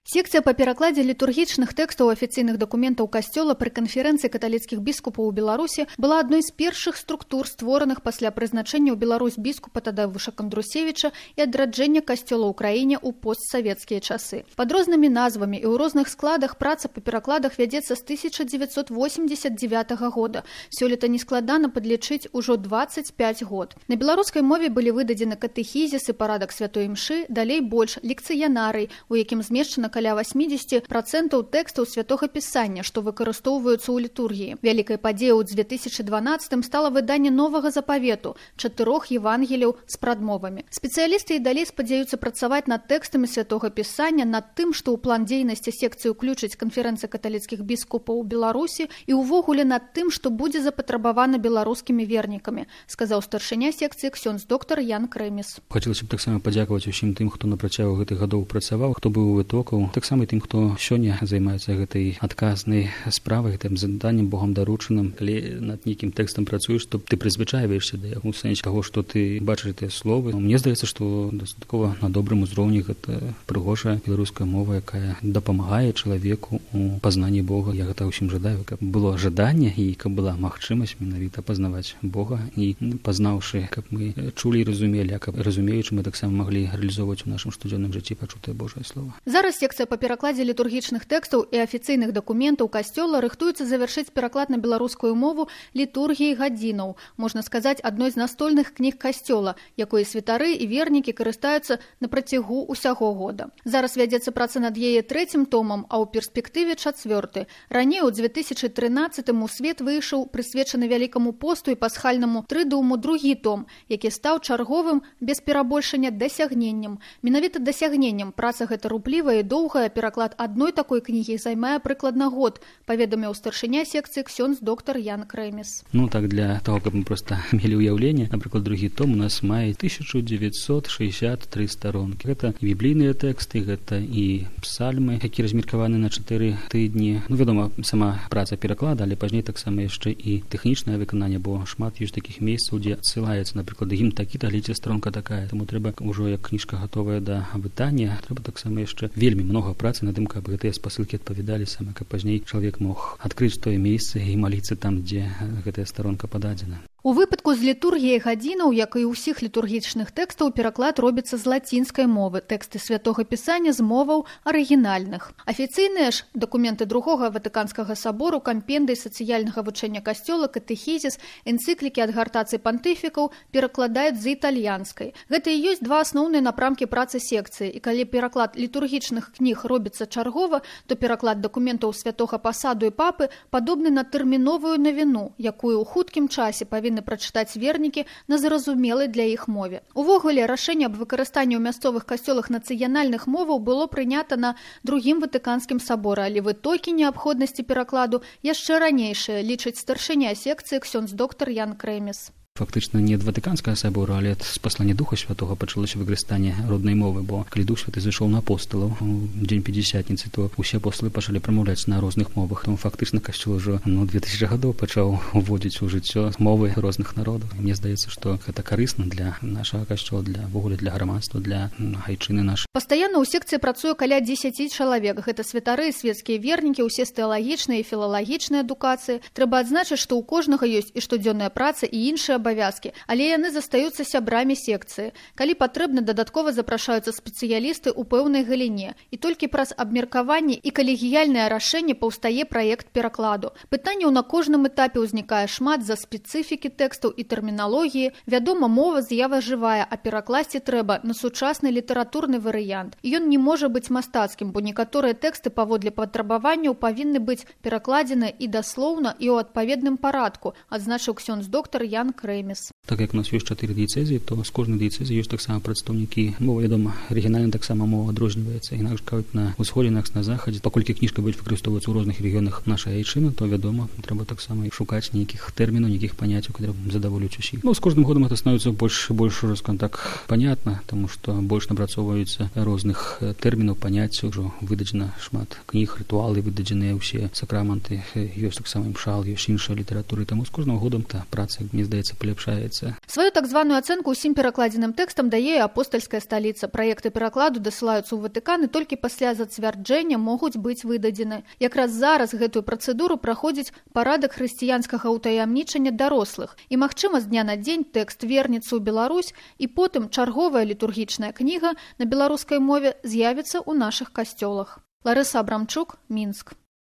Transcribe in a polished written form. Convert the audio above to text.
Секцыя па перакладзе літургічных тэкстаў афіцыйных дакументаў касцёла пры канферэнцыі каталіцкіх біскупаў у Беларусі была адной з першых структур, створаных пасля прызначэння ў Беларусь біскупа Тадеуша Кандрусевіча і адраджэння касцёла ў краіне ў постсавецкія часы. Пад рознымі назвамі і ў розных складах праца па перакладах вядзецца з 1989 года. Сёлета нескладана падлічыць ужо 25 год. На беларускай мове былі выдадзены катэхізіс і парадак святой імшы, далей больш лекцыянарый, у якім змешчана каля 80% тэкстаў святога пісання, што выкарыстоўваюцца ў літургіі. Вялікай падзеяй у 2012 стала выданне новага запавету, 4 евангеліяў з прадмовамі. Спецыялісты і далей спадзяюцца працаваць над тэкстамі святога пісання, над тым, што ў план дзейнасці секцыі ўключыць канферэнцыя каталіцкіх біскупаў у Беларусі і ўвогуле над тым, што будзе запатрабавана беларускімі вернікамі, сказаў старшыня секцыі ксёндз доктар Ян Крэміс. Хацелася б таксама падзякаваць усім тым, хто на працягу гэтых гадоў працаваў, хто быў у вытокаў, таксама і тым, хто сёння займаецца гэтай адказнай справай, гэтым заданнем Богам даручаным. Калі над нейкім тэкстам працуеш, то ты прызвычаіваешся да яго ў сэнсе таго, што ты бачыш гэтыя словы. Мне здаецца, што дастаткова на добрым узроўні гэта прыгожая беларуская мова, якая дапамагае чалавеку у пазнанні Бога. Я гэта ўсім жадаю, каб было жаданне і каб была магчымасць менавіта пазнаваць Бога і пазнаўшы, каб мы чулі і разумелі, а каб разумеючы мы таксама маглі рэалізоўваць у нашым штодзённым жыцці пачутае Божае слово. Зараз секцыя па перакладзе літургічных тэкстаў і афіцыйных дакументаў касцёла рыхтуецца завяршыць пераклад на беларускую мову літургіі гадзінаў, можна сказаць, адной з настольных кніг касцёла, якой святары і вернікі карыстаюцца на працягу ўсяго года. Зараз вядзецца праца над яе 3-м томам, а ў перспектыве 4-й. Раней у 2013-му у свет выйшаў прысвечаны вялікаму посту і пасхальнаму трыдуму 2-й том, які стаў чарговым без перабольшання дасягненнем. Менавіта дасягненнем праца гэта руплівая і доўгая, пераклад адной такой кнігі займае прыкладна год, паведаміў старшыня секцыі ксёндз доктар Ян Крэміс. Так, для того, каб мы проста мелі ўяўленне, напрыклад, 2-й том у нас мае 1963 старонкі. Гэта і біблійныя тэксты, гэта і псальмы, які размеркаваны на 4 тыдні. Вядома, сама праца пераклада, але пазней таксама яшчэ і тэхнічнае выкананне, бо шмат ёсць такіх месцаў, дзе адсылаецца, напрыклад, гімн такі, глядзіце, старонка такая. Таму трэба ўжо як кніжка гатовая да вытання, трэба таксама яшчэ вельмі многа працы над тым, каб гэтыя спасылкі адпавядалі саме, каб пазней чалавек мог адкрыць тое месца і маліцца там, дзе гэтая старонка пададзена. У выпадку з літургіяй гадзінаў, як і ўсіх літургічных тэкстаў, пераклад робіцца з лацінскай мовы, тэксты святога пісання з моваў арыгінальных. Афіцыйныя ж дакументы Другога Ватыканскага сабору, кампендый сацыяльнага вучэння касцёла, катэхізіс, энцыклікі адгартацый пантыфікаў перакладаюць з італьянскай. Гэта і ёсць два асноўныя напрамкі працы секцыі, і калі пераклад літургічных кніг робіцца чаргова, то пераклад дакументаў святога пасаду і папы падобны на тэрміновую навіну, якую ў хуткім часе павінны прачытаць вернікі на зразумелай для іх мове. Увогуле, рашэнне аб выкарыстанні ў мясцовых касцёлах нацыянальных моваў было прынята на Другім Ватыканскім саборы, але вытокі неабходнасці перакладу яшчэ ранейшыя, лічыць старшыня секцыі ксёндз доктар Ян Крэміс. Фактычна не ад Ватыканскага сабору, але ад спаслання Духа Святога пачалося выкарыстанне роднай мовы, бо калі Дух Святы зайшоў на апосталаў у дзень Пятидесятніцы, то усе апосталы пачалі прамаўляць на розных мовах. Таму фактычна касцёл ужо 2000 гадоў пачаў уводзіць у жыццё мовы розных народаў. Мне здаецца, што гэта карысна для нашага касцёла, для вогуле для грамадства, для айчыны нашай. Пастаянна ў секцыі працуе каля 10 чалавек. Гэта святары, свецкія вернікі, усе з тэалагічнай і філалагічнай адукацыі. Трэба адзначыць, што ў кожнага ёсць і штодзённая праца, і іншыя абавязкі, але яны застаюцца сябрамі секцыі. Калі патрэбна, дадаткова запрашаюцца спецыялісты ў пэўнай галіне. І толькі праз абмеркаванне і калегіяльнае рашэнне паўстае праект перакладу. Пытанняў на кожным этапе ўзнікае шмат з-за спецыфікі тэкстаў і тэрміналогіі. Вядома, мова з'ява жывая, а перакласці трэба на сучасны літаратурны варыянт. Ён не можа быць мастацкім, бо некаторыя тэксты паводле патрабаванняў павінны быць перакладзены і даслоўна, і ў адпаведным парадку, адзначыў ксёндз доктар Ян Крэміс. Так як у нас ёсць 4 дыяцэзіі, то з кожнай дыяцэзіі ёсць таксама прадстаўнікі мовы. Вядома, арыгінальна таксама мова адрозніваецца. Інакш кажуць, на ўсходзе, інакш на захадзе. Паколькі кніжка будзе выкарыстоўвацца ў розных рэгіёнах нашай айчыны, то, вядома, трэба таксама шукаць нейкіх тэрмінаў, нейкіх паняццяў, которые задаволюць усіх. З кожным годам гэта становіцца больш скажем так, понятна, таму што больш напрацоўваюцца розных тэрмінаў, паняццяў, ужо выдадзена шмат кніг, рытуалы, выдадзеныя ўсе сакраманты, ёсць таксама імшал, ёсць іншая літаратура. Таму з кожным годам та праца, мне здаецца, паляпшаецца. з'яўляецца. Сваю так званую ацэнку ўсім перакладзеным тэкстам дае і апостальская сталіца. Праекты перакладу дасылаюцца ў Ватыкан і толькі пасля зацвярджэння могуць быць выдадзены. Якраз зараз гэтую працэдуру праходзіць парадак хрысціянскага ўтаямнічання дарослых. І, магчыма, з дня на дзень тэкст вернецца ў Беларусь, і потым чарговая літургічная кніга на беларускай мове з'явіцца ў нашых касцёлах. Ларыса Абрамчук, Мінск.